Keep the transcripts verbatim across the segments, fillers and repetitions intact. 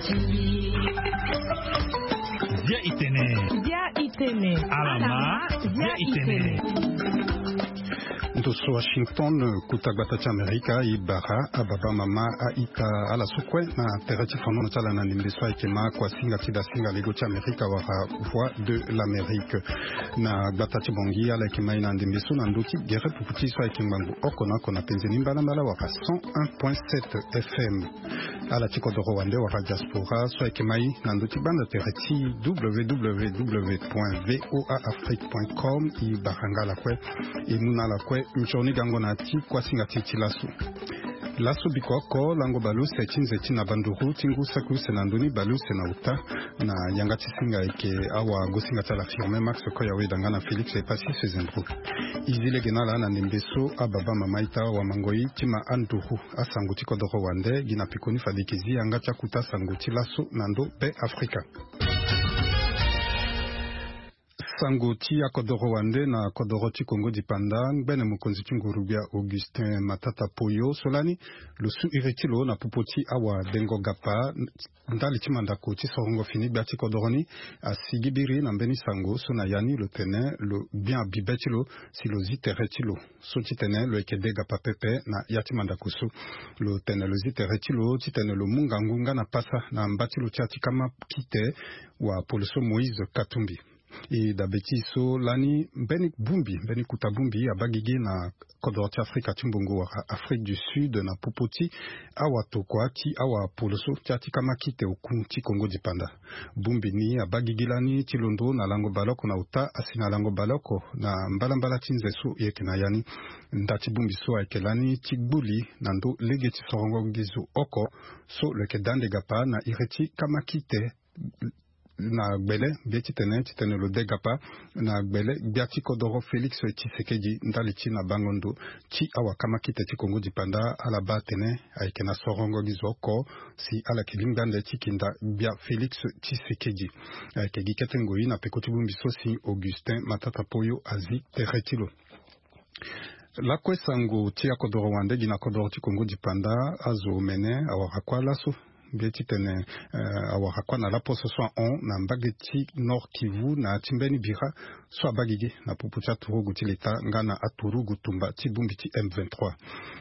Bia itene. Bia itene. Alama. Bia itene. Ndo so Washington, kuta gbata ti Amerika, e bara ababa, mama, a-ita, ala so kue na tere ti fanono ti ala na ndembe so ayeke ma kuasinga ti dasinga lego ti Amerika wala Voix de l'Amérique. Na gbata ti Bangui, ala yeke ma e na ndembe so na ndö ti gere pupu ti e so ayeke ngbangbo oko na oko na penze ni mbalambala wala cent un point sept F M. Ala ti kodoro wande wala diaspora so ayeke ma e na ndö ti gbanda tere ti W W W point V O A Afrique point com, e bara nga ala kue, e mu na ala kue nzoni gango na ya ti kuasinga ti e ti laso. Laso biko oko, lango baleuse ti nze ti na banduru ti ngu saki use na ndö ni baleuse na ota, na yanga ti singa ayeke awagosinga ti ala Firmin Max Koyawe, da nga na Félix Epassis Sezendro. E zi lege na ala na ndembe so ababa, mama, a-ita, wamangoi, ti ma anduru asango ti kodoro wande, gi na pekoni fade e yeke zi yanga ti akuta sango ti laso na ndö Be Afrika. Sango ti akodoro wande na kodoro ti Kongo Dipanda, ngbene mokonzi ti nguru-gbia Augustin Matata Poyo so lani lo su iri ti lo na popo ti awadengo gapa ndali ti mandako ti sorongo fini gbia ti kodoro ni, asigi biri na mbeni sango so na ya ni lo tene lo gbia bibe ti lo si lo zi tere ti lo so titene lo yeke de gapa pepe na ya ti mandako so. Lo tene lo zi tere ti lo titene lo mu ngangu nga na pasa na mba ti lo ti ya ti kama kite, wapolo so Moïse Katumbi. E dabe ti e so lani mbeni bongbi, mbeni kota bongbi abaa gigi na kodoro ti Afrika ti mbongo wala Afrique du Sud na popo ti awatokua ti awapoloso ti ya ti kama kite oku ti Kongo Dipanda. Bongbi ni abaa gigi lani ti londo na lango baleoko na ota asi na lango baleoko na mbalambala ti nze so e yeke na ya ni. Nda ti bongbi so ayeke lani ti gbuli na ndö lege ti sorongo nginzo oko so lo yeke da ande gapa na iri ti kama kite na gbele, mbi ye titene titene lo de gapa na gbele gbia ti kodoro Félix Tshisekedi ndali ti na bango ndo ti awakama kite ti Kongo Dipanda, ala baa atene ayeke na sorongo gi zo oko si ala yeke lingbi ande ti kinda gbia Félix Tshisekedi. Ayeke gi kete ngoi na peko ti bongbi so si Augustin Matata Poyo azi tere ti lo. Lakue sango ti akodoro wande gi na kodoro ti Kongo Dipanda, azo omene awara kua laso mbi ye titene, eh, awara kua na laposo so ahon na mbage ti Nord Kivu na ya ti mbeni bira so abaa gigi na popo ti aturugu ti leta nga na aturugu tumba ti bongbi ti M vingt-trois.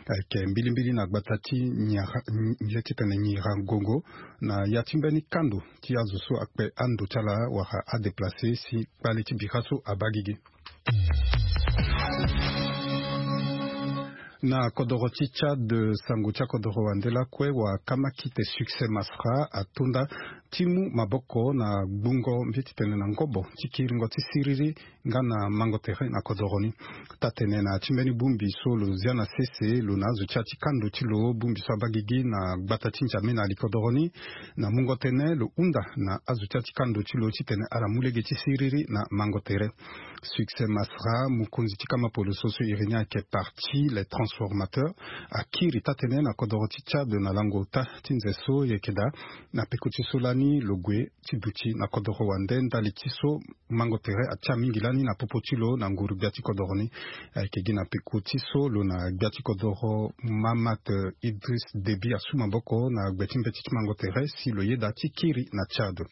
Ayeke mbilimbili na gbata ti Nyira, mbi ye titene Nyiragongo, na ya ti mbeni kando ti azo so akpe ando ti ala wala adéplacé si kpale ti bira so abaa gigi. Na kodoro ti Tchad, sango ti akodoro wande lakue, wakama kite Succès Masra atonda ti mu maboko na gbungo mbi ye titene na ngobo ti kiringo ti siriri nga na mango tere na kodoro ni. Taa-tene na ya ti mbeni bongbi so lo zia na sese lo na azo ti ya ti kando ti lo, bongbi so abaa gigi na gbata ti N'Djamena ali kodoro ni, na mungo tënë lo hunda na azo ti ya ti kando ti lo titene ala mu lege ti siriri na mango tere. Succès Masra, mokonzi ti kama poloso so iri ni ayeke Parti Les Transformateurs, akiri taa-tene na kodoro ti Tchad na lango ota ti nze so e yeke daa na peko ti so lani lo gue ti duti na kodoro wande ndali ti so mango tere atia mingi lani na popo ti lo na nguru gbia ti kodoro ni. Ayeke gi na peko ti so lo na gbia ti kodoro Mahamat Idriss Déby asu maboko na gbe ti mbeti ti mango tere si lo yeda ti kiri na Tchad.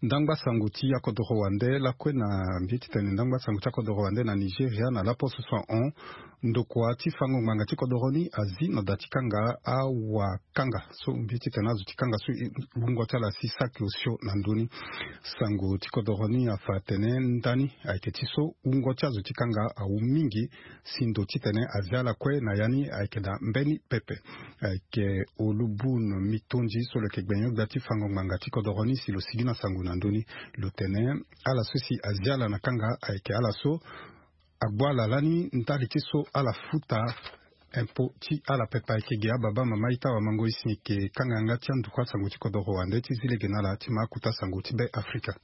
Ndangba sango ti akodoro wande lakue, na mbi ye titene ndangba sango ti akodoro wande na Nigeria na laposo so ahon, ndokua ti fango ngbanga ti kodoro ni azi na da ti kanga awakanga so mbi ye titene azo ti kanga so wungo ti ala asi saki osio na ndö ni. Sango ti kodoro ni afa atene ndani ayeke ti so wungo ti azo ti kanga awu mingi si ndo titene azi ala kue na ya ni ayeke daa mbeni pepe. Ayeke Olubun Mitondi so lo yeke gbenyo gbia ti fango ngbanga ti kodoro ni si lo sigi na sango na ndö ni. Lo tene ala so si azi ala na kanga ayeke ala so agbu ala lani ndali ti so ala futa impôt ti ala pepe. Ayeke ge ababa, mama, ita, wamango, e si e yeke kanga yanga ti anduku asango ti kodoro wande ti zi lege na ala ti ma akuta sango ti Be Afrika.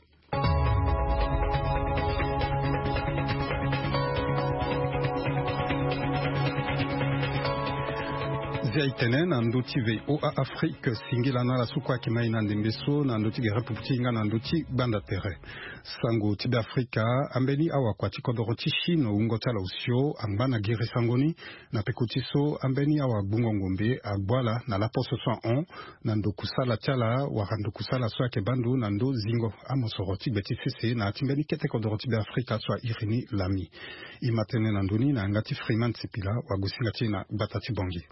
Ti aitene na ndö ti VOA Afrique, singila na ala so kue ayeke ma e na ndembe so na ndö ti gere pupu ti e nga na ndö ti gbanda tere. Sango ti Beafrika. Ambeni awakua ti kodoro ti Chine, wungo ti ala osio angba na giri sango ni. Na peko ti so, ambeni awagbungo ngombe agbu ala na laposo so ahon na ndokusala ti ala wala ndokusala so ayeke baa ndo na ndö zingo amosoro ti gbe ti sese na ya ti mbeni kete kodoro ti Beafrika so airi ni lami. E ma tene na ndö ni na yanga ti Freeman Sipila, wagosinga ti e na gbata ti Bangui.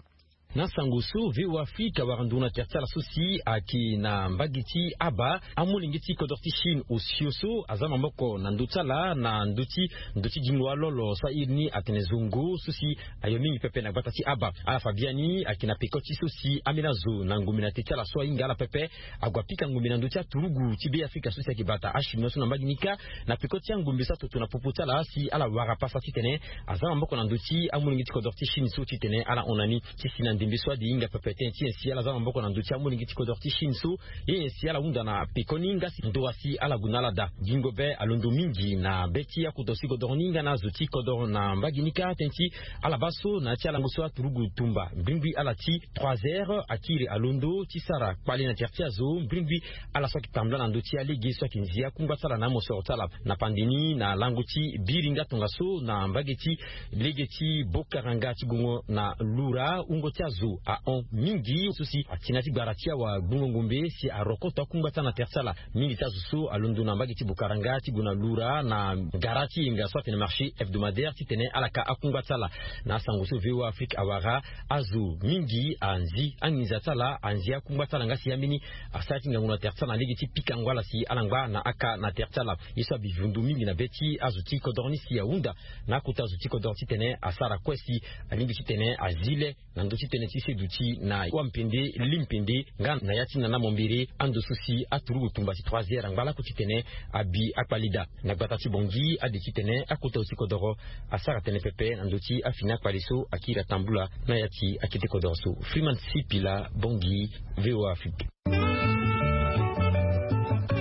Na sango so VOA Afrique awara nduru na tere ti ala so si ayeke na mbage ti aba, amolenge ti kodro ti Chine osio so aza na maboko na ndö ti ala na ndö ti ndo ti gingo alolo so airi ni atene zongo so si ayo mingi pepe na gbata ti aba. Ala fa biani ayeke na peko ti so si ambeni azo na ngombe na te ti ala so ahinga ala pepe ague apika ngombe na ndö ti aturugu ti Beafrika so si ayeke bata achinois so na mbage ni kâ. Na peko ti angombe so atoto na popo ti ala si ala wara pasa titene aza na maboko na ndö ti amolenge ti kodro ti Chine so titene ala hon na ni. Ti si na ndembe so ade hinga pepe tënë ti nyen si ala za na maboko na ndö ti amolenge ti kodro ti Chine so, ye nyen si ala hunda na pekoni nga si ndo wa si ala gue na ala daa. Gingo be alondo mingi na be ti akota si kodro ni nga na azo ti kodro na mbage ni kâ tënë ti ala baa so na ya ti alango so aturugu tumba mbrimbri ala ti trois heures akiri alondo ti sara kpale na tere ti azo mbrimbri. Ala so ayeke tambula na ndö ti alege so ayeke nzi akungba ti ala na amosoro ti ala na pande ni na lango ti biri nga tongaso na mbage ti lege ti Bokaranga ti gongo na Lura, wungo ti azo ahon mingi so si ati na ya ti gbara ti awagbungo ngombe si arokoto akungba ti ala na tere ti ala. Mingi ti azo so alondo na mbage ti Bokaranga ti gue na Lura na gara ti yenga so atene marché hebdomadaire titene ala ka akungba ti ala. Na asango so VOA Afrique awara, azo mingi anzi anginza ti ala, anzi akungba ti ala nga si ambeni asara ti ngangu na tere ti ala na lege ti pikango ala si ala ngba na aka na tere ti ala. Ye so abi vundu mingi na be ti azo ti kodro ni si ahunda na akota azo ti kodro titene asara kue si alingbi titene azi le na ndö ti tënë ti seduti na wampende limpende nga na ya ti nana mombere, ando so si aturugu tumba si trois heures angba laku titene abi akpale daa. Na gbata ti Bangui ade titene akota azo ti kodro asara tënë pepe na ndö ti afini akpale so akiri atambula na ya ti akete kodro so. Freeman Sipila, Bangui, VOA Afrique.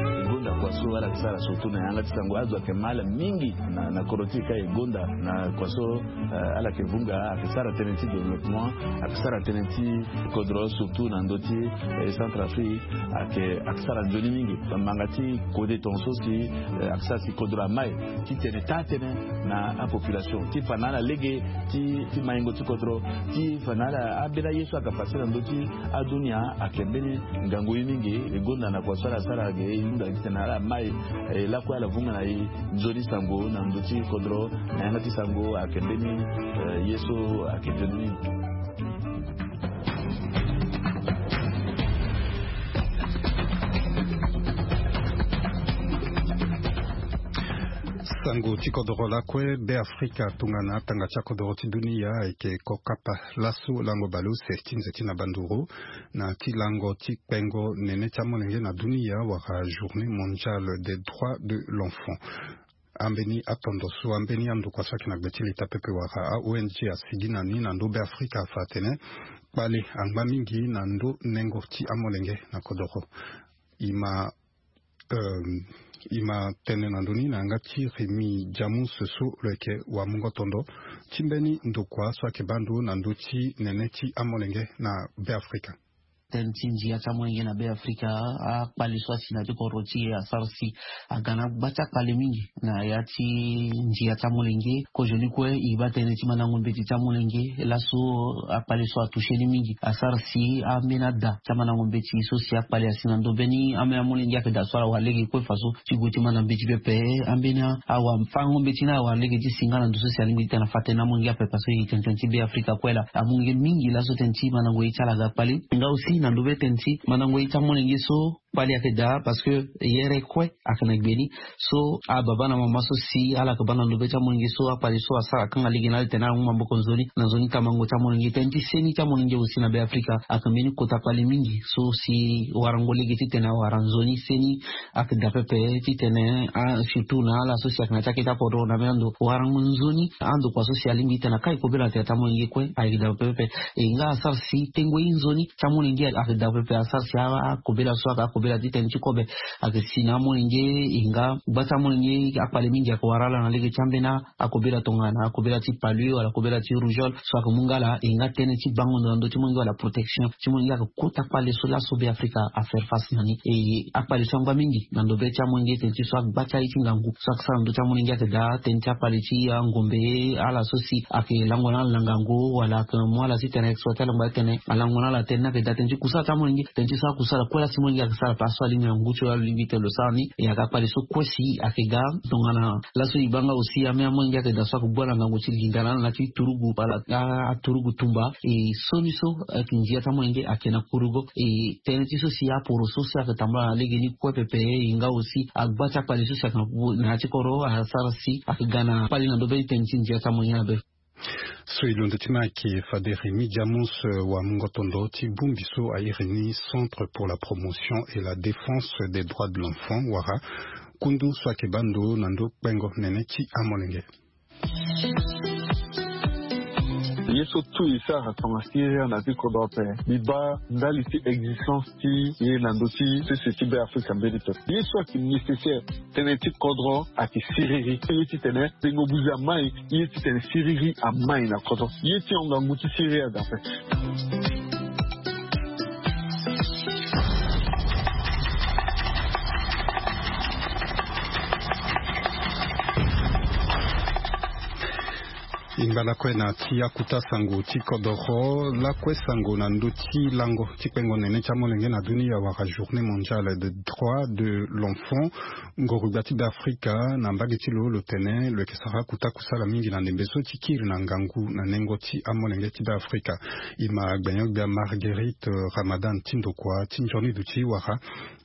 E gonda kua so ala yeke sara surtout na yanga ti sango, azo ayeke ma ala mingi na, na kodro ti e kâ. E gonda na kua so, eh, ala yeke vunga, ayeke sara tënë ti développement, ayeke sara tënë ti kodro surtout na ndö ti, eh, Centrafrique, ayeke, ayeke sara nzoni mingi. Bamanga ti kode tongaso si, eh, ayeke sara si kodro ama e titene taa tënë na apopulation ti fa na ala lege ti, ti maingo ti kodro, ti fa na ala ambeni aye so aga pase na ndö ti adunia. Ayeke mbeni ngangu ye mingi. E gonda na kua so ala sara ge, e hunda titene ala ma e, e lakue ala vunga na e nzoni sango na ndö ti kodro na yanga ti sango. Ayeke mbeni, eh, ye so ayeke nzoni mingi. Sango ti kodro lakue. Beafrika tongana atanga ti akodro ti dunia ayeke kokapa laso lango baleuse ti nze ti na banduru na ti lango ti kpengo nene ti amolenge na dunia wala journée mondiale des droits de l'enfant. Ambeni atondo so ambeni andokua so ayeke na gbe ti leta pepe wala a-O N G asigi na ni na ndö Beafrika afa atene kpale angba mingi na ndö nengo ti amolenge na kodoro. E ma, euh, e ma tene na ndö ni na yanga ti Rémy Jamus so lo yeke wamungo tondo ti mbeni ndokua so ayeke baa ndo na ndö ti nene ti amolenge na Beafrika. Tënë ti ndia ti amolenge na Beafrika, akpale so asi na ya ti kodro ti e asara si aga na gba ti akpale mingi na ya ti ndia ti amolenge. Kozoni kue e baa tënë ti mandango mbeti ti amolenge laso akpale so atouché ni mingi. Asara si ambeni ada ti amandango mbeti so si akpale asi na ndö mbeni ambeni amolenge ayeke daa so ala wara lege kue faso ti gue ti manda mbeti pepe. Ambeni awafango mbeti ni ala wara lege ti si nga na ndo so si alingbi ti tene afa tënë na amolenge ape parce que e yeke tene tënë ti Beafrika kue laa. Amolenge mingi laso tënë ti mandango ye ti ala aga kpale. Nga aussi na ndö be tënë ti mandango ye ti amolenge so kpale ayeke daa parce que yere kue ayeke na gbe ni. So ababa na mama so si ala yeke baa na ndo be ti amolenge so akpale so asara akanga lege na ala titene ala mu maboko nzoni na nzoni tamango ti amolenge. Tënë ti seni ti amolenge aussi na Beafrika ayeke mbeni kota kpale mingi so si warango lege titene awara nzoni seni ayeke daa pepe titene, ah, surtout na ala so si ayeke na ti akete akodro na mbeni ando warango nzoni andokua so si alingbi titene akai kobela na tere ti amolenge kue ayeke daa pepe. E nga asara si tengo ye nzoni ti amolenge ayeke daa pepe. Asara si a, akobela so ayeke Kobela ti tënë ti kobe ayeke si na amolenge. E nga gba ti amolenge akpale mingi ayeke wara ala na lege ti ambeni akobela tongana akobela ti palu wala akobela ti rougeole so ayeke mu nga ala. E nga tënë ti bango ndo na ndö ti molenge wala protection ti molenge ayeke kota kpale so laso be afrika afaire face na ni. E akpale so angba mingi na ndo be ti amolenge tënë ti so agba ti aye ti ngangu so ayeke sara na ndö ti amolenge ayeke daa tënë ti akpale ti angombe ala so si ayeke lango na ala na ngangu wala ayeke mu ala ti tene exploite ala ngba ti tene alango na ala tënë ni ayeke daa tënë ti kusala ti amolenge tënë ti so akusala kue la si molenge ayeke sara ape aso alingbi na ngu ti lo alingbi tene lo sara ni. E ayeke akpale so kue si ayeke ga tongana laso e baa nga aussi ame amolenge ayeke daa so ayeke gbu ala ngangu ti linda na ala na ya ti turugu wala aturugu tumba. E soni so ayeke ndia ti amolenge ayeke na kurugo. E tënë ti so si aporo so si ayeke tambula na lege ni kue pepe e nga aussi agba ti akpale so si ayeke na ya ti kodro asara si ayeke ga na kpale na ndo be ti tënë ti ndia ti amolenge na be. So e londo ti ma ayeke fade Rémy Diamonce wa mungo tondo ti bongbi so a iri ni Centre pour la promotion et la défense des droits de l'enfant wala kundu so ayeke baa ndo na ndo kpengo nene ti amolenge. Ye so tout e sara tonga siriri na ya ti kodro ape. Mbi baa ndali ti existence ti ye na ndö ti sese ti be afrika mbeni pepe ye so ayeke nécessaire. Tënë ti kodro ayeke siriri ye ti tene tengo buzi amai ye ti tene siriri amai na kodro ye ti hon ngangu ti siriri aga ape. E ngba lakue na ti akuta sango ti kodoro lakue sango na ndö ti lango ti kpengo nene ti amolenge na dunia wala journée mondiale de droit de l'enfant. Ngorugba ti be afrika na mbage ti lo lo tene lo yeke sara akuta kusala mingi na ndembe so ti kiri na ngangu na nengo ti amolenge ti be afrika. E ma gbenyo-gbia marguerite ramadan ti ndokua ti nzoni duti wala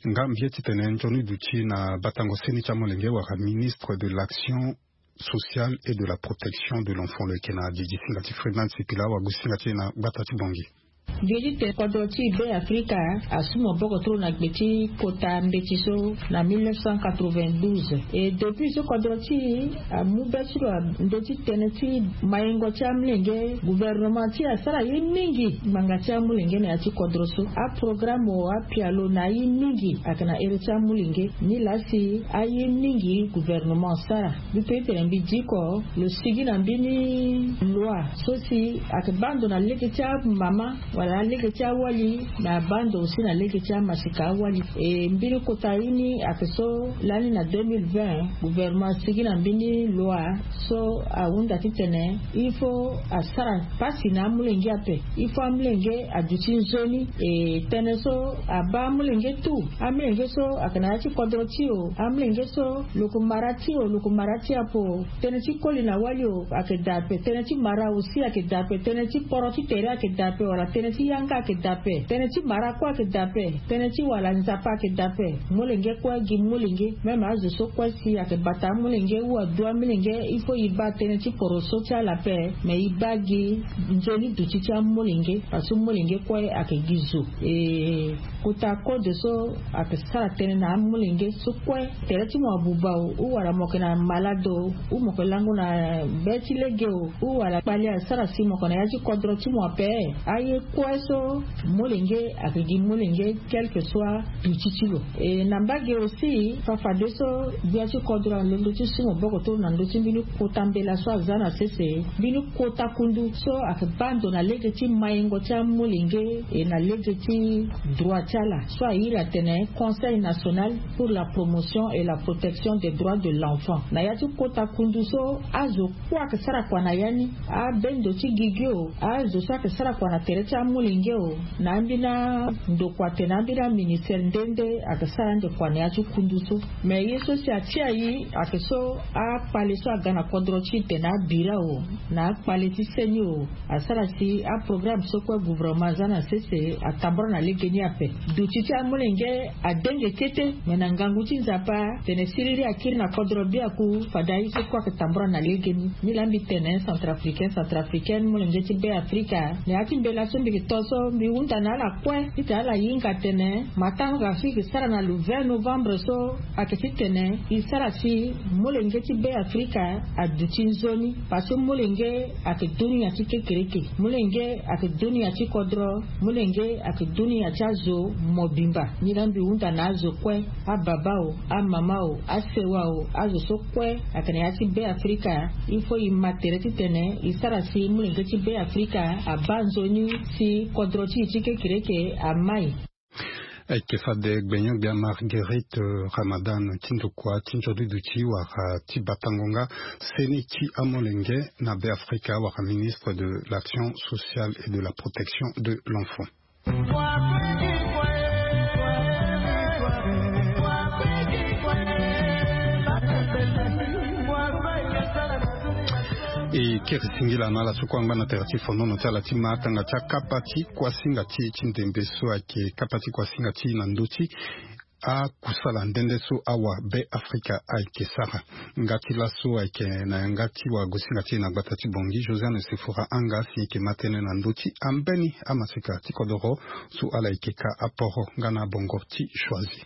nga mbi ye titene nzoni duti na batango seni ti amolenge wala ministre de l'action sociale et de la protection de l'enfant lo yeke na didi singa ti freeman sipila wagu singa ti e na gbata ti bongi. Gbe ti tene kodro ti e be afrika asu maboko tro na gbe ti kota mbeti so na mille neuf cent quatre-vingt-douze. E depuis so kodro ti e amu be ti lo na ndö ti tënë ti mayengo ti amolenge gouvernement ti e asara ye mingi ngbanga ti amolenge na ya ti kodro so. Aprograme o apialo na aye mingi ayeke na here ti amolenge. Nilaa si aye mingi gouvernement asara mbi pe ti tene mbi diko lo sigi na mbeni loi so si ayeke baa ndo na lege ti amama wala na lege ti awali me abaa ndo aussi na lege ti amasika awali. E mbeni kota ye ni ayeke so lani na deux mille vingt gouvernement asigi na mbeni loi so ahunda titene il faut asara pasi na amolenge ape. Il faut amolenge aduti nzoni. E tënë so abaa amolenge tout amolenge so ayeke na ya ti kodro ti e o amolenge so lo ko mara ti e o lo ko mara ti e ape o. Tënë ti koli na wali o ayeke daa ape tënë ti mara aussi ayeke daa ape tënë ti poro ti tere ayeke daa ape wala tënë ti yanga ayeke daa ape tënë ti mara kue ayeke daa ape tënë ti wala nzapa ayeke daa ape. Molenge kue gi molenge même azo so kue si ayeke bata amolenge ou adu amolenge il faut e baa tënë ti poro so ti ala ape. Mais e baa gi nzoni duti ti amolenge parce que molenge kue ayeke gi zo. E kota code so ayeke sara tënë na amolenge so kue tere ti mo abuba o ou wala mo yeke na malade o ou mo yeke lango na be ti lege o ou wala kpale asara si mo yeke na ya ti kodro ti mo ape. Aye kue so molenge ayeke gi molenge quelque soit duti ti lo. E na mbage aussi fafadeso gbia ti kodro alondo ti su maboko toro na ndö ti mbeni kota mbela so aza na sese mbeni kota kundu so ayeke baa ndo na lege ti mayengo ti amolenge e na lege ti droit ti ala so airi atene conseil national pour la promotion et la protection des droits de l'enfant. Na ya ti kota kundu so azo kue ayeke sara kua na ya ni abendo ti gigi o azo so ayeke sara kua na tere ti amolenge o na ambeni andokua atene ambeni aministere nde nde ayeke sara ande kua na ya ti kundu so. Me ye so si atia e ayeke so akpale so aga na kodro ti e tene abira o na akpale ti seni o asara si aprograme so kue gouvernement aza na sese atambora na lege ni ape. Duti ti amolenge adenge kete me na ngangu ti nzapa tene siriri akiri na kodro biaku fade aye so kue ayeke tambora na lege ni. Nilaa mbi tene centrafricain centrafricaine molenge ti be afrika na ya ti mbela so mbi Tonso mbi hunda na ala kue titene ala hinga atene matanga so e ke sara na le vingt novembre so ayeke titene e sara si molenge ti Beafrika aduti nzoni. Parce que molenge ayeke dunia ti kekereke, molenge ayeke dunia ti kodro, molenge ayeke dunia ti azo mobimba. Ni laa mbi hunda na azo kue, ababa o, amama o, asewa o, azo so kue ayeke na ya ti Beafrika, il faut e ma tere titene e sara si molenge ti Beafrika abaa nzoni si kodro ti e ti kekereke amai. Ayeke fade gbenyo-gbia Marguerite Ramadan ti ndokua ti nzoni duti wala ti batango nga seni ti amolenge na Beafrika wala ministre de l'Action sociale et de la Protection de l'Enfant. E kiri singila na ala so kue angba na tere ti fonono ti ala ti ma atanga ti akapa ti kuasinga ti e ti ndembe so ayeke kapa ti kuasinga ti e na ndö ti akusala nde nde so awa Beafrika ayeke sara. Nga ti laso ayeke na yanga ti wagosinga ti e na gbata ti Bangui, Josiane Sefora Anga si e yeke ma tënë na ndö ti ambeni amaseka ti kodoro so ala yeke ka aporo nga na bongo ti Choisy.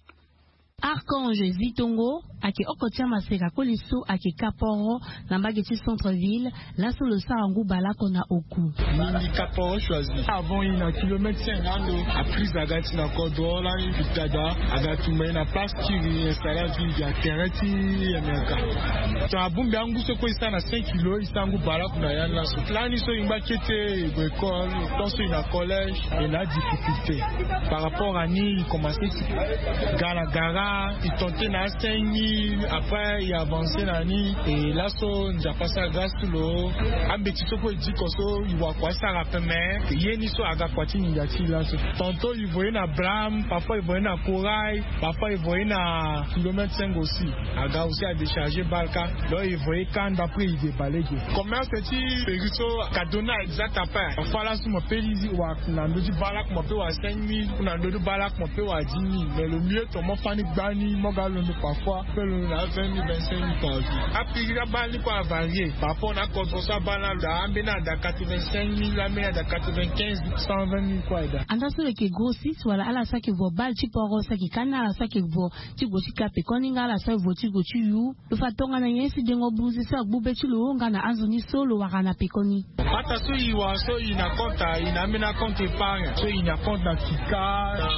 Archange Zitongo ayeke oko ti amaseka koli so ayeke ka poro na mbage ti centre-ville, laso lo sara ngu baleoko na oku. Mingi ka poro Choisy. Avant e na kilomètre cinq ando, aprise aga ti na kodro lani, pitada aga tumba e na place ti e installa vie ya terrain ti amerika. Tongana abongbi angu so kue e sara na cinq kilo, e sara ngu baleoko na ya ni laso. Lani so e ngba kete, e gue école, tant so e na collège, e na adifficulté. Par rapport à ni, e commencé ti ga na gara, e tenté na cinq mille, après e avancé na ni. E laso Nzapa asara grâce ti lo, ambeti so kue e diko so e wara kua asara ape, mais ye ni so aga kua ti nginza ti e laso. Tantôt e voyé na Bram, parfois e voyé na Corail, parfois e voyé na kilomètre cinq aussi. Aga aussi adéchargé baleoko. Donc e voyé kanda, après e déballé ge. Commerce ti péri so ka donné exact ape. Parfois laso mo peut dire wara na ndö ti baleoko mo peut wara cinq mille, na ndö ti baleoko mo peut wara dix mille. Mais le mieux, to mo fani gbani, mo ga londo parfois, peut londo na vingt mille, vingt-cinq mille par jour. Apiri abale ni kue avarié. Par rapport na kodro so abale ni, anda ambeni ada quatre-vingt-cinq mille, ambeni ada quatre-vingt-quinze, cent vingt mille kue ada. Anda so lo yeke grossiste wala ala so ayeke vo bale ti poro so ayeke ka ni, ala so ayeke vo ti gue ti ka pekoni nga ala so aye vo ti gue ti yu. Lo fa tongana nyen si dengo buze so agbu be ti lo nga na anzoni so lo wara na pekoni. Pata so e wara so e na compte, e na ambeni compte épargne. So e na compte na Kika, na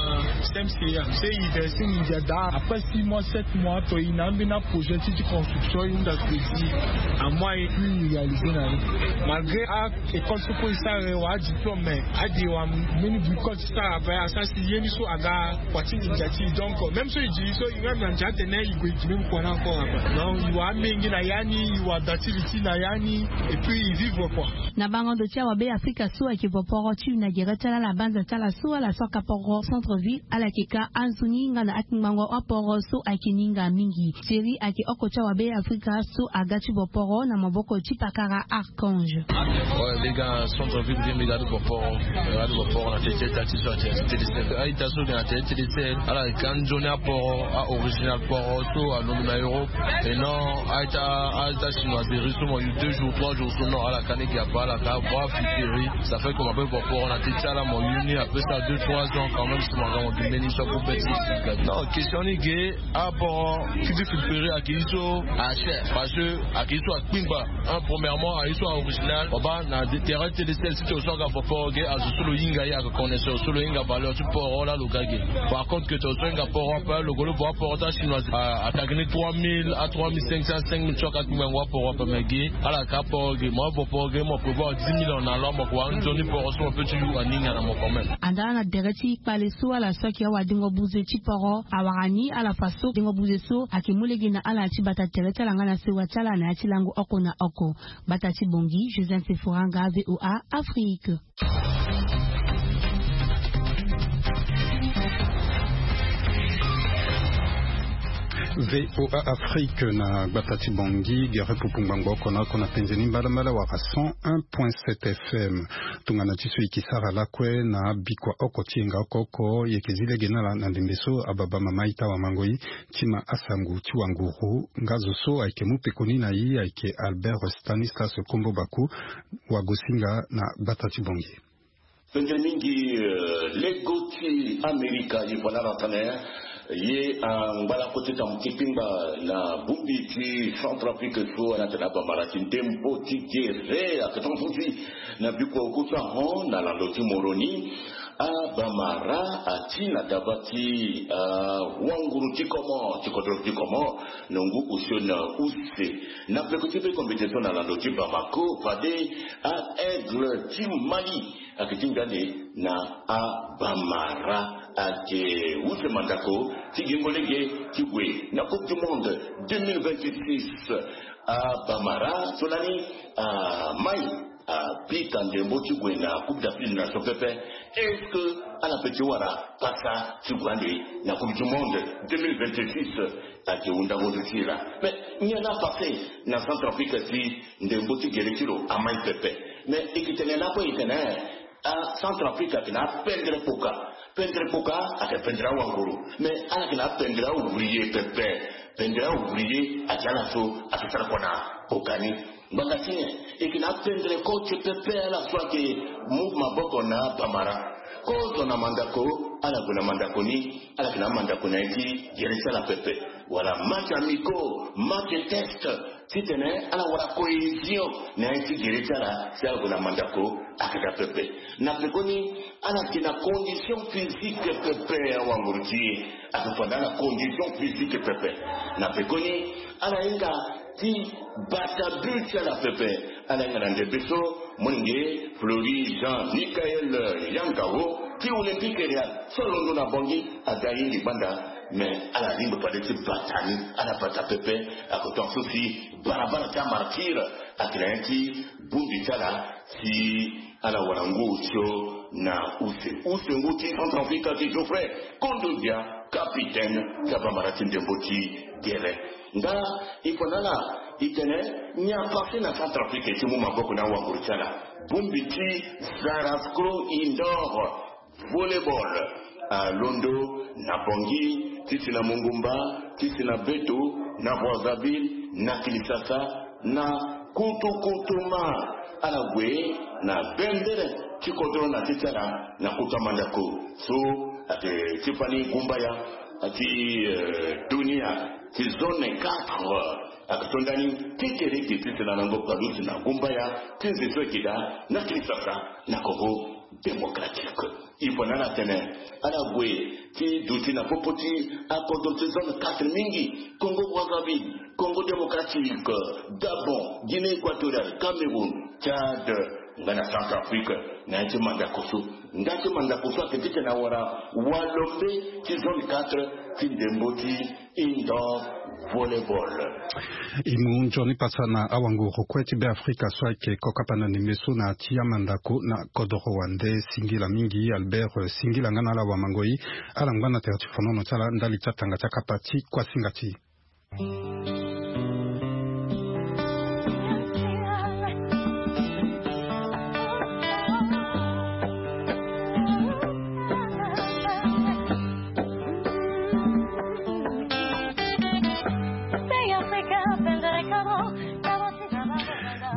C M C A. So e verser nginza daa. Après six mois, sept mois, to e na ambeni projet ti, ti construction, e hunda crédit. Amois e puis e réalisé na ni. Malgré a école so kue e sara, e wara adiplôme, mais ade e wara mbeni bricole ti sara ape, asara si ye ni so aga kua ti nginza ti e. Donc même so e di so e même na ndia atene e gue e gi même kua ni encore ape. Donc e wara amenge na ya ni, e wara da ti li ti e na ya ni, et puis e vivre quoi. Na bango ndo ti awa Beafrika so ayeke vo poro ti e na gere ti ala na banza ti ala so ala so aka poro centre-ville, ala yeke ka anzoni nga na akpingbango aporo so ayeke ni nga mingi. Thierry ayeke oko ti awa Beafrika so aga ti vo poro na maboko ti pakara Archange. Ouais, mbi ga na centre-ville, mbi ga ti vo poro, mbi ga ti vo poro na tete ti ita ti so ayeke na tete ti sel. A-ita so ayeke na tete ti sel, ala yeke ka nzoni aporo, a-original poro so alondo na Europe. Et non, a-ita, a-ita chinoiserie so mo yu deux jours, trois jours so, non, ala ka ni ge ape, ala ka bra fiteri. Ça fait que mo ape vo poro na tete ti ala, mo yu ni ape ça deux, trois ans quand même, si mo aga mo gi mbeni so ape beti. Non, question ni ge, aporo ti ti filtrer ayeke ye so acher, parce que ayeke ye so akpingba. Un, premièrement, ayeke ye so a-original. Mo baa na terrain ti télé sel, si tongana so aga vo poro ge, azo so lo hinga ye, aga connaisseur so lo hinga valeur ti poro laa lo ga ge. Par contre que tongana so hinga poro ape, lo gue lo vo aporo ti achinois, a, atagi ni trois mille, a trois mille cinq cents, cinq mille, so aga kpingba ngu aporo ape, mais ge ala ka poro ge, mo avo poro ge, mo prévoir dix mille en allant, mo ko wara nzoni poro so mo peut ti yu aninga na mo quand même. Anda na tere ti kpale so ala so ayeke awadengo buze ti poro awara ni ala fa so dengo buze so ayeke mu lege na ala ti bata tere ti ala nga na sewa ti ala na ya ti lango oko na oko. Gbata ti Bangui, Josiane Sefora Anga, V O A Afrique. V O A Afrique na gbata ti Bangui, gere pupu ngbangbo oko na oko na penze ni mbalambala wala cent un point sept F M. Tongana ti so e yeke sara lakue na bikua oko ti yenga oko oko, e yeke zi lege na ala na ndembe so ababa mama ita wamango e ti ma asango ti wanguru. Nga zo so ayeke mu pekoni na e ayeke Albert Stanislas Kombo Baku, wagosinga na gbata ti Bangui. Pendere mingi, eh, lego ti Amerika, ye voilà na tene ye angbalako ti tamu ti kpingba na bongbi ti Centrafrique so ana tene abamara ti ndembo ti gere ake tongaso ti na bikua oku so ahon na lando ti Moroni. Abamara ati na daba ti, ah, wanguru ti Comores, ti kodro ti Comores, na ngu osio na use. Na peko ti be compétition na lando ti Bamako, fade a Aigle ti Mali ake ti nga nde na abamara ake use mandako ti gingo lege ti gue na Coupe du Monde deux mille vingt-six. Abamara so lani amai apika ndembo ti gue na Coupe d'Afrique des Nations pepe. Est-ce que ala pe ti wara pasa ti gue ande na Coupe du Monde deux mille vingt-six? Ake hundango ti sila. Mais nyen la passé na Centrafrique ti ndembo ti gere ti lo amai pepe. Mais e ke tene lakue e tene a Centrafrique ake na apendere kpoka. Pendere kpoka ake pendere awanguru. Mais ala ake na apendere ouvrier pepe. Pendere ouvrier ake ala so ake sara kua na kpoka ni. Ngbanga ti nyen? E ke na apendere coach pepe ala so ake mu maboko na abamara. Kozo na mandako, ala gue na mandako ni, ala ke na mandako na ye ti gere ti ala pepe. Wala match amicaux, match test, titene ala wara cohésion na ye ti gere ti ala, si ala gue na mandako, ake daa pepe. Na pekoni, ala ke na condition physique pepe, awanguru ti e ake fanda na condition physique pepe. Na pekoni, ala hinga ti bata but ti ala pepe. Ala hinga na ndembe so, molenge Fleury Jean Michael Yangao ti Olympique Real so alondo na Bangui, aza ahinga gbanda. Mais ala lingbi fade ti bata ni, ala bata pepe. Ake tongaso si barabara ti amartyr ake na ye ti bongbi ti ala, si ala wara ngu osio na use. Use ngu ti Centrafrique ake Geoffrey Kondogbia, capitaine ti abamara ti ndembo ti gere. Nga e fa na ala e tene nyen apassé na Centrafrique ti mu maboko na awanguru ti ala. Bongbi ti Zarasco Indoor Volleyball alondo na Bangui, ti si na Mongumba, ti si na Beto, na Brazzaville, na Kinshasa, na Kutukutuma. Ala gue na bendere ti kodro na ti ti ala na kota mandako. So ake ti fani gumbaya ti, eh, dunia ti zone quatre. Ake so ndani ti kereke ti si na nango palusi na gumbaya ti nze so eke daa na Kinshasa na Congo Démocratique. E fa na ala tene ala gue ti duti na popo ti akodro ti zone quatre mingi: Congo Brazzaville, Congo Démocratique, Gabon, Guinée Équatoriale, Cameroun, Tchad, nga na Centrafrique. Na ye ti mandako so, nga ti mandako so ake titene awara walombe ti zone quatre ti ndembo ti indoor volleyball. E mu nzoni pasa na awanguru kue ti Beafrika so ayeke kokapa na ndembe so na ya ti amandako na kodoro wande. Singila mingi Albert, eh, singila nga na ala wamangoi. Ala ngba na tere ti fonono ti ala ndali ti atanga ti akapa ti kuasinga ti.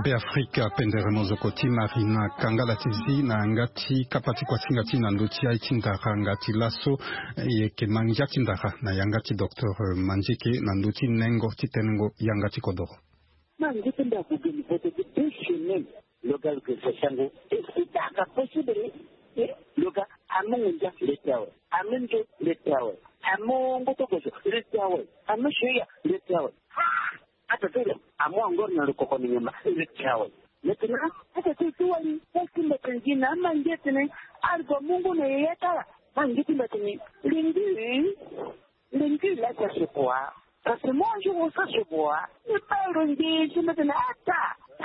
Beafrika pendere mozoko ti Marina Kangala ti zi na yanga ti kapa ti kuasinga ti na ndö ti aye ti ndara nga ti laso. E yeke ma ngia ti ndara na yanga ti docteur Mandieke na ndö ti nengo ti tenengo yanga ti kodoro. Ma ngu ti mbi ague geni vote ti deux semaines. Lo ga lo ke so sango. Est-ce que ça ka possible? Eh, lo ga amu ngunza leta awe. Amu nzo leta awe. Amu ngoto koso leta awe. Amu soya leta awe. Ah! Ata tolo amu angor na lo koko ni nyama leta awe. Maintenant, ata tolo ti wali, est-ce que mbi tene gi na ama nge tene, algo mungu na yeye tala. Ma nge ti mbi tene, lingi. Lingi la sa se quoi? Parce que moi, je vois ça se voir. Ni pa lo nge si mbi tene ata.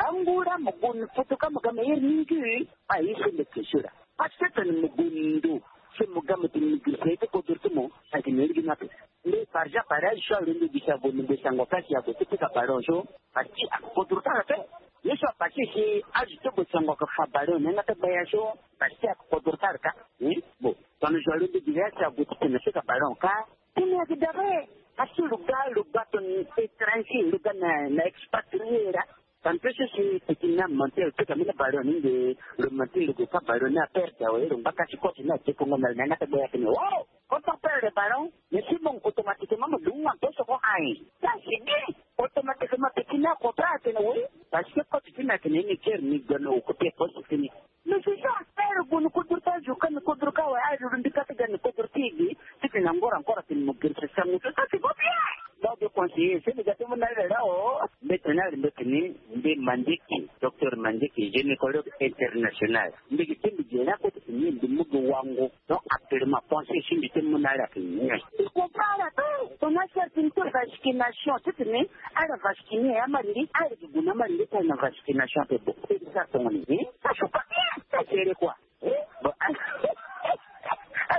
Angura mo gun foto ka mo ga meilleur mingi. Pa yi se mbi ke sura. Parce que tene mo gun ndo. Se mo ga mo tene mo grise te kodro ti mo. Sa ke meilleur gi na pe. Nde par exemple, pareil, so alondo gi sa vo, nde sango kasi ago ti pika ballon so. Parce que akodro tara pe. Ye so apase si azo ti bo sango aka fa ballon, ni nga ti gbaya so. Parce que akodro tara ka. Hmm? Bon, tongana zo alondo gi sa ago ti tene pika ballon ka. Ti ni ayeke dabe. Parce que lo ga, lo ga tongana étranger, lo ga na, na expatrié laa. Tongana peso si peki na Mantel pe ka mene ballon ni nde. Lo mantel lo gue pa ballon ni aperde awe, lo ngba kati coach ni adekongo na lo na yanga ti gbe ya tene, oh, quand on perd le ballon, mais si bon, automatiquement mo dungu amposo ko ayen. Ça c'est bien. Automatiquement petit ni acontra atene oui, parce que coach ti ni atene ni ker ni gue na occupé poste ti ni. Mais c'est ça, ere gue ni kodro ti azo ka ni kodro ka awe, azo lo mbi ka ti ga ni kodro ti e ge. Titene angora encore atene mo girisa sango so, ça c'est pas bien. Donc je conseiller, si mbi ga ti mu na ala la, oh, mbeti ni ala, mbeti ni, mbi Mandieke, docteur Mandieke, gynécologue international. Mbi gi ti mbi gi na koti ti mbi, mbi mu gi wango. Donc actuellement pensée si mbi ti mu na ala ti nyen. Il comprend la paix. On a certaines vaccinations, ti ti ni, ala vacciner ya mari nde, ala gi gue na mari nde ti ala na vaccination ape bo. C'est ça ton nez. Ça c'est pas bien. Ça c'est quoi? Eh, bon, ala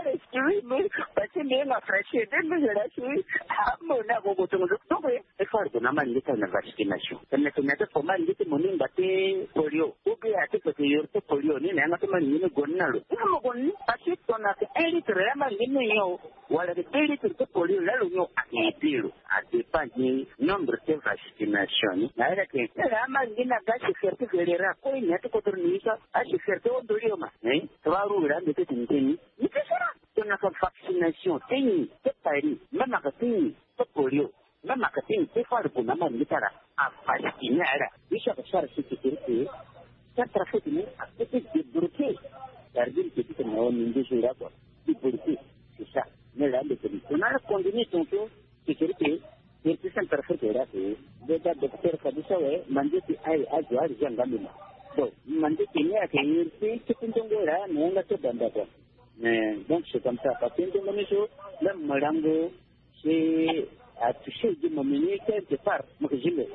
excuse me, parce que mbi nga frache de mbi nga lasi. Amo na go go tongo. Donc eh, e far gue na mari nde ti ala na vaccination. Tene tene te fo mari nde ti mo ni ngba ti polio. Ou bien ate fo ti yor ti polio ni na yanga ti mari nde ni gue ni na lo. Ni mo gue ni, parce que ton ate un litre ya mari nde ni nyon. Wala de deux litres ti polio la lo nyon, a aidelo. A dépend du nombre ti vaccination ni. Na ere ke, na mari nde ni aga sécurité fédérale ko ni ate kodro ni sa. A sécurité o doli o ma. Hein? Trois roues la nde ti ndeni. Ni ti sara. Ton aka vaccination ti ni ti Paris, même aka ti ni ti polio, même aka ti ni ti far gue na mari nde ti ala, a vacciner ala. Biso aka sara sécurité. Centrafrique ni apeut ti débloquer. Gardien petit na wa ni nde sera quoi. Débloquer. C'est ça. Mais là le petit on a conduit ton tour. Sécurité. Iri ti Centrafrique la ke. Beta docteur Fadusa we, Mandieke aye azo ari janga mima. Bon, Mandieke ni ake iri ti kiti ndongo la na yanga ti banda quoi. Mais donc c'est comme ça, parce que ndongo ni so, même molango, c'est à toucher du moment quelque part, mo ke jimbe.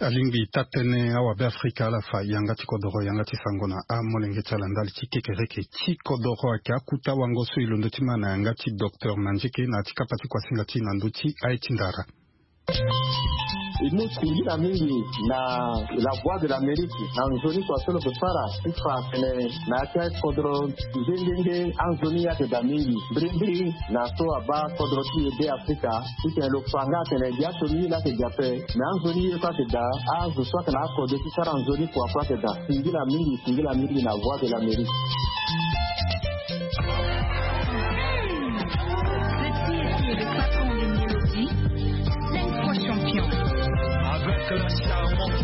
Alingbi taa tënë awabe Afrika ala fa yanga ti kodoro, yanga ti sango na amolenge ti ala ndali ti kekereke ti kodoro ayeke akuta wango so e londo ti ma na yanga ti docteur Mandieke na ya ti kapa ti kuasinga ti na ndö ti aye ti ndara. E mu singila mingi na La Voix de l'Amérique na nzoni kua so lo ke fara ti fa atene na ya ti akodro nde nde nde anzoni ye ayeke daa mingi. Mbirimbiri na so abaa kodro ti e be Afrika, titene lo fa nga atene gi aso ni ye laa ayeke daa ape, me anzoni ye kue ayeke daa. Azo so ayeke na akode ti sara nzoni kua kue ayeke daa. Singila mingi, singila mingi na Voix de l'Amérique. Petit et le patron de Mélodie, cinq fois champion. Avec la charmante,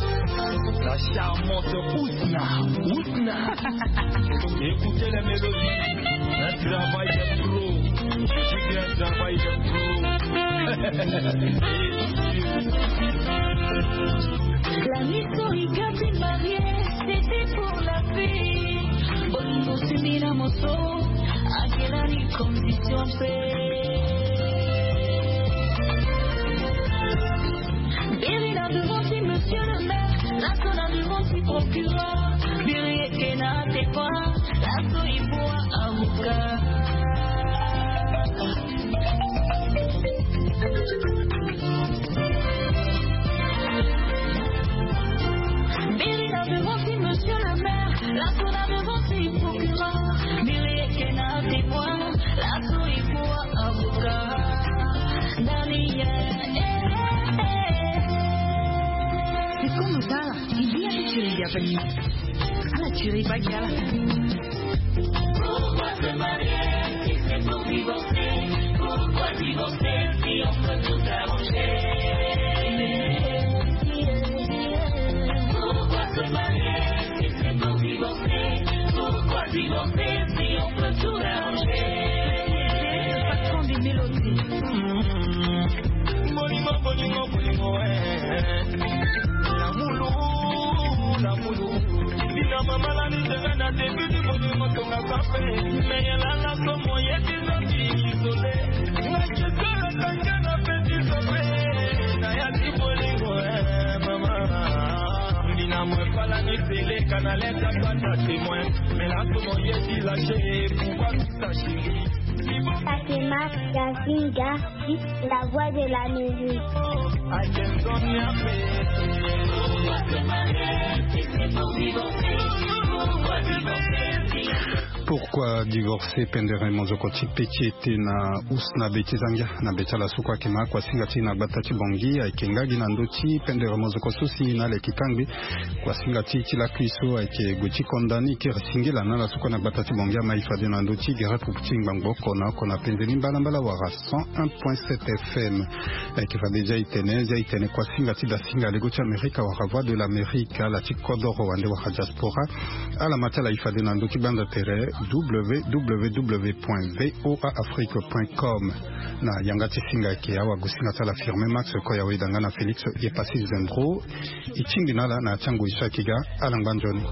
la charmante Ousna. Ousna. Écoutez les mélodies. Un travail de pro. Je dis que un travail de pro. La historique a été mariée, c'était pour la paix. Bolingo simbi na moto, akela ni condition pe. Biri na devant ti monsieur le maire, laso na devant ti procureur. Biri eke na tepa, laso il faut avocat. Biri na devant ti monsieur le maire, laso na devant ti procureur. Biri eke na témoin, laso il faut avocat. Dani, eh, eh, eh. C'est comme ça, il dit à la tuerie, il y a pas de... À la tuerie, pas qu'il y a la... Pourquoi se marier si c'est pour divorcer? Pourquoi divorcer si on peut tout arranger? Pourquoi se marier si c'est pour divorcer? Pourquoi divorcer si on peut tout arranger? Le patron des mélodies. Bolingo, bolingo, bolingo, eh. Lamulu, lamulu. Bina mama la ni tena na début du monde, mo tonga kafe. Mais ya la la so mo ye ti zo ti isolé. Nga je te le tanga na petit sommet. Na ya ti bolingo, eh, mama. Bina mo fala ni télé, canal est à témoin. Mais la so mo ye ti lâché, pourquoi tout ça, chérie? Fatima Yasinga, la voix de la musique. Pourquoi divorcer? Pendere mozoko ti pe ti ete na usna be ti zangia na be ti ala so kue ayeke ma kuasinga ti na gbata ti Bongi ayeke nga gi na ndö ti pendere mozoko so si na ala yeke kangbe. Kuasinga ti ti lakui so ayeke gue ti condamné kiri singila na ala so kue na gbata ti Bongi ama e fade na ndö ti gere pupu ti ngbangbo oko na oko na penze ni mbalambala wala cent un point sept F M. Ayeke fade zia e tene zia e tene kuasinga ti dasinga lego ti Amerika wala Voix de l'Amérique, ala ti kodoro wande wala diaspora. Ala ma ti ala e fade na ndö ti gbanda tere W W W point V O A Afrique point com. Na yanga ti singa ayeke awagosinga ti ala Firmin Max, Koya Weda nga na Félix Yepassis Zembro. E tingbi na ala na ya ti angoi so ayeke ga. Ala ngba nzoni.